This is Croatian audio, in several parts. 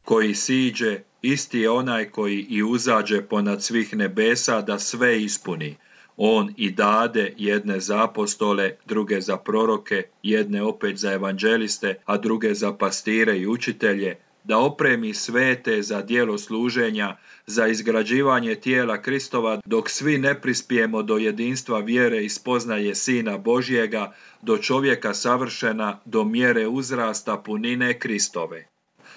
Koji siđe, isti je onaj koji i uzađe ponad svih nebesa da sve ispuni. On i dade jedne za apostole, druge za proroke, jedne opet za evanđeliste, a druge za pastire i učitelje, da opremi svete za djelo služenja, za izgrađivanje tijela Kristova, dok svi ne prispijemo do jedinstva vjere i spoznaje Sina Božjega, do čovjeka savršena, do mjere uzrasta punine Kristove.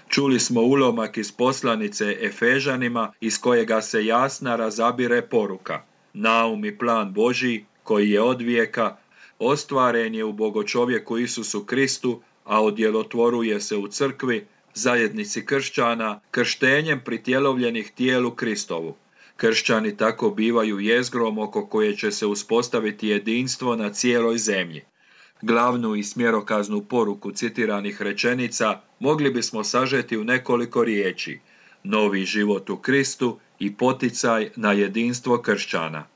Čuli smo ulomak iz poslanice Efežanima, iz kojega se jasna razabire poruka. Naum i plan Božji, koji je od vijeka, ostvaren je u bogočovjeku Isusu Kristu, a odjelotvoruje se u crkvi, zajednici kršćana, krštenjem pritjelovljenih tijelu Kristovu. Kršćani tako bivaju jezgrom oko koje će se uspostaviti jedinstvo na cijeloj zemlji. Glavnu i smjerokaznu poruku citiranih rečenica mogli bismo sažeti u nekoliko riječi: novi život u Kristu i poticaj na jedinstvo kršćana.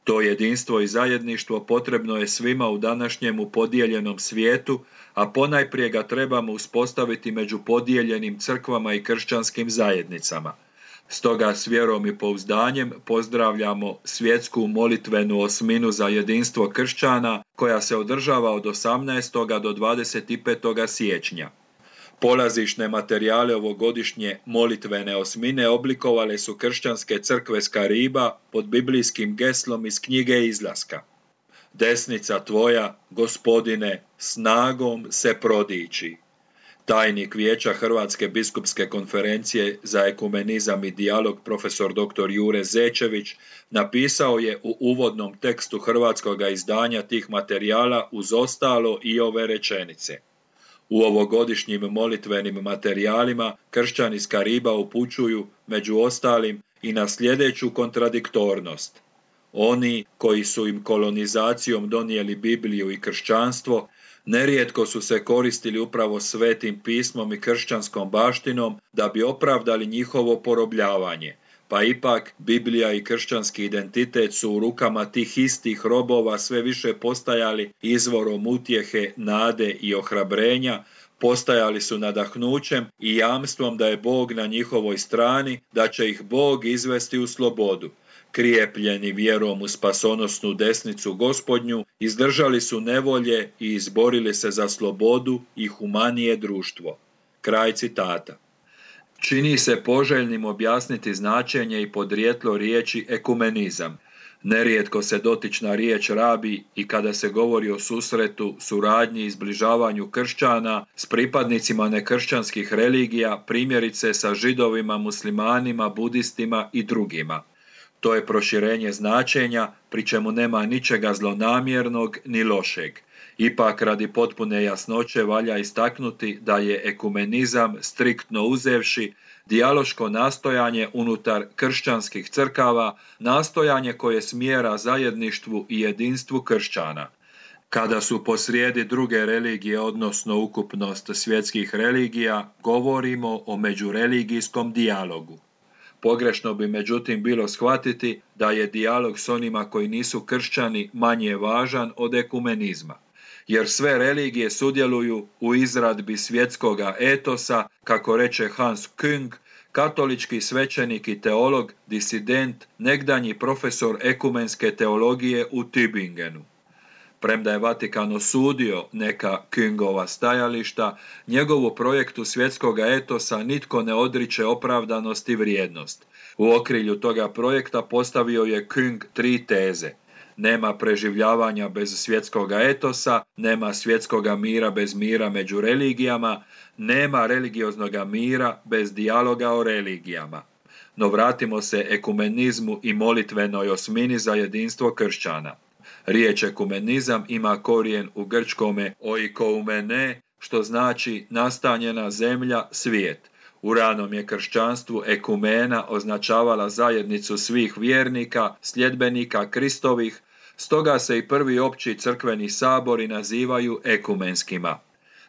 To jedinstvo i zajedništvo potrebno je svima u današnjemu podijeljenom svijetu, a ponajprije ga trebamo uspostaviti među podijeljenim crkvama i kršćanskim zajednicama. Stoga s vjerom i pouzdanjem pozdravljamo svjetsku molitvenu osminu za jedinstvo kršćana koja se održava od 18. do 25. siječnja. Polazišne materijale ovogodišnje molitvene osmine oblikovale su kršćanske crkve s Kariba pod biblijskim geslom iz knjige Izlaska. Desnica tvoja, Gospodine, snagom se prodiči. Tajnik Vijeća Hrvatske biskupske konferencije za ekumenizam i dijalog profesor dr. Jure Zečević napisao je u uvodnom tekstu hrvatskog izdanja tih materijala uz ostalo i ove rečenice. U ovogodišnjim molitvenim materijalima kršćani iz Kariba upućuju, među ostalim, i na sljedeću kontradiktornost. Oni koji su im kolonizacijom donijeli Bibliju i kršćanstvo, nerijetko su se koristili upravo svetim pismom i kršćanskom baštinom da bi opravdali njihovo porobljavanje, pa ipak Biblija i kršćanski identitet su u rukama tih istih robova sve više postajali izvorom utjehe, nade i ohrabrenja, postajali su nadahnućem i jamstvom da je Bog na njihovoj strani, da će ih Bog izvesti u slobodu. Krijepljeni vjerom u spasonosnu desnicu Gospodnju, izdržali su nevolje i izborili se za slobodu i humanije društvo. Kraj citata. Čini se poželjnim objasniti značenje i podrijetlo riječi ekumenizam. Nerijetko se dotična riječ rabi i kada se govori o susretu, suradnji i zbližavanju kršćana s pripadnicima nekršćanskih religija, primjerice sa židovima, muslimanima, budistima i drugima. To je proširenje značenja, pri čemu nema ničega zlonamjernog ni lošeg. Ipak, radi potpune jasnoće valja istaknuti da je ekumenizam, striktno uzevši, dijaloško nastojanje unutar kršćanskih crkava, nastojanje koje smjera zajedništvu i jedinstvu kršćana. Kada su posrijedi druge religije, odnosno ukupnost svjetskih religija, govorimo o međureligijskom dijalogu. Pogrešno bi međutim bilo shvatiti da je dijalog s onima koji nisu kršćani manje važan od ekumenizma, jer sve religije sudjeluju u izradbi svjetskoga etosa, kako reče Hans Küng, katolički svećenik i teolog, disident, nekdanji profesor ekumenske teologije u Tübingenu. Premda je Vatikan osudio neka Küngova stajališta, njegovu projektu svjetskoga etosa nitko ne odriče opravdanost i vrijednost. U okrilju toga projekta postavio je Küng 3 teze. Nema preživljavanja bez svjetskoga etosa, nema svjetskoga mira bez mira među religijama, nema religioznoga mira bez dijaloga o religijama. No vratimo se ekumenizmu i molitvenoj osmini za jedinstvo kršćana. Riječ ekumenizam ima korijen u grčkome oikoumene, što znači nastanjena zemlja, svijet. U ranom je kršćanstvu ekumena označavala zajednicu svih vjernika, sljedbenika Kristovih, stoga se i prvi opći crkveni sabori nazivaju ekumenskima.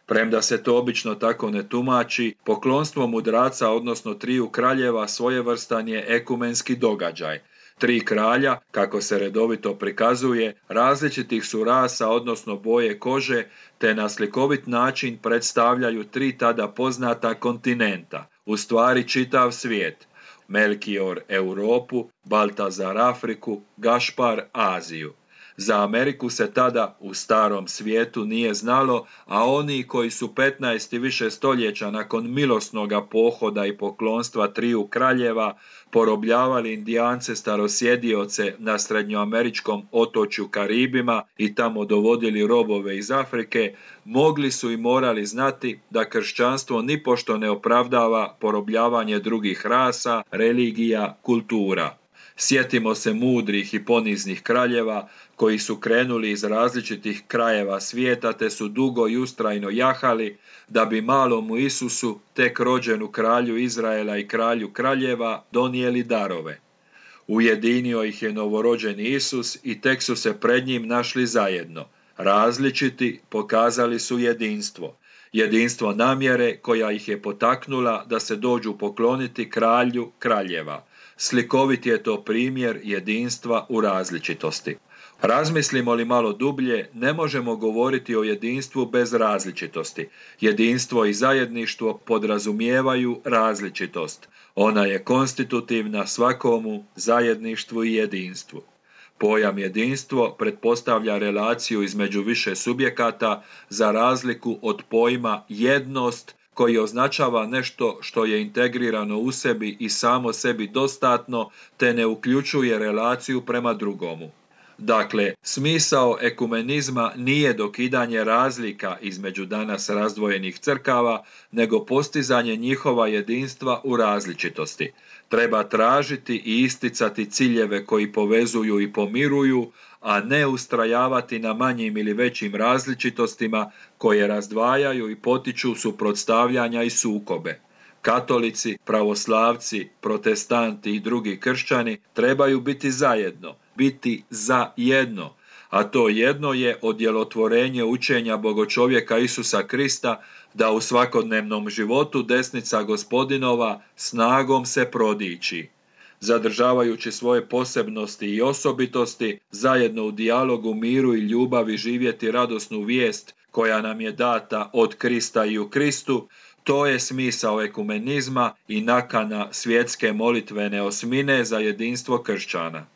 Premda se to obično tako ne tumači, poklonstvo mudraca, odnosno triju kraljeva, svojevrstan je ekumenski događaj. Tri kralja, kako se redovito prikazuje, različitih su rasa, odnosno boje kože, te na slikovit način predstavljaju tri tada poznata kontinenta, u stvari čitav svijet. Melkior Europu, Baltazar Afriku, Gašpar Aziju. Za Ameriku se tada u starom svijetu nije znalo, a oni koji su 15 i više stoljeća nakon milosnoga pohoda i poklonstva triju kraljeva porobljavali Indijance starosjedioce na srednjoameričkom otočju Karibima i tamo dovodili robove iz Afrike, mogli su i morali znati da kršćanstvo nipošto ne opravdava porobljavanje drugih rasa, religija, kultura. Sjetimo se mudrih i poniznih kraljeva koji su krenuli iz različitih krajeva svijeta te su dugo i ustrajno jahali da bi malomu Isusu, tek rođenu kralju Izraela i kralju kraljeva, donijeli darove. Ujedinio ih je novorođeni Isus i tek su se pred njim našli zajedno. Različiti pokazali su jedinstvo. Jedinstvo namjere koja ih je potaknula da se dođu pokloniti kralju kraljeva. Slikovit je to primjer jedinstva u različitosti. Razmislimo li malo dublje, ne možemo govoriti o jedinstvu bez različitosti. Jedinstvo i zajedništvo podrazumijevaju različitost. Ona je konstitutivna svakomu zajedništvu i jedinstvu. Pojam jedinstvo pretpostavlja relaciju između više subjekata za razliku od pojma jednost koji označava nešto što je integrirano u sebi i samo sebi dostatno te ne uključuje relaciju prema drugomu. Dakle, smisao ekumenizma nije dokidanje razlika između danas razdvojenih crkava, nego postizanje njihova jedinstva u različitosti. Treba tražiti i isticati ciljeve koji povezuju i pomiruju, a ne ustrajavati na manjim ili većim različitostima koje razdvajaju i potiču suprotstavljanja i sukobe. Katolici, pravoslavci, protestanti i drugi kršćani trebaju biti zajedno, biti za jedno, a to jedno je odjelotvorenje učenja bogočovjeka Isusa Krista da u svakodnevnom životu desnica Gospodinova snagom se prodiči. Zadržavajući svoje posebnosti i osobitosti, zajedno u dijalogu, miru i ljubavi živjeti radosnu vijest koja nam je data od Krista i u Kristu, to je smisao ekumenizma i nakana svjetske molitvene osmine za jedinstvo kršćana.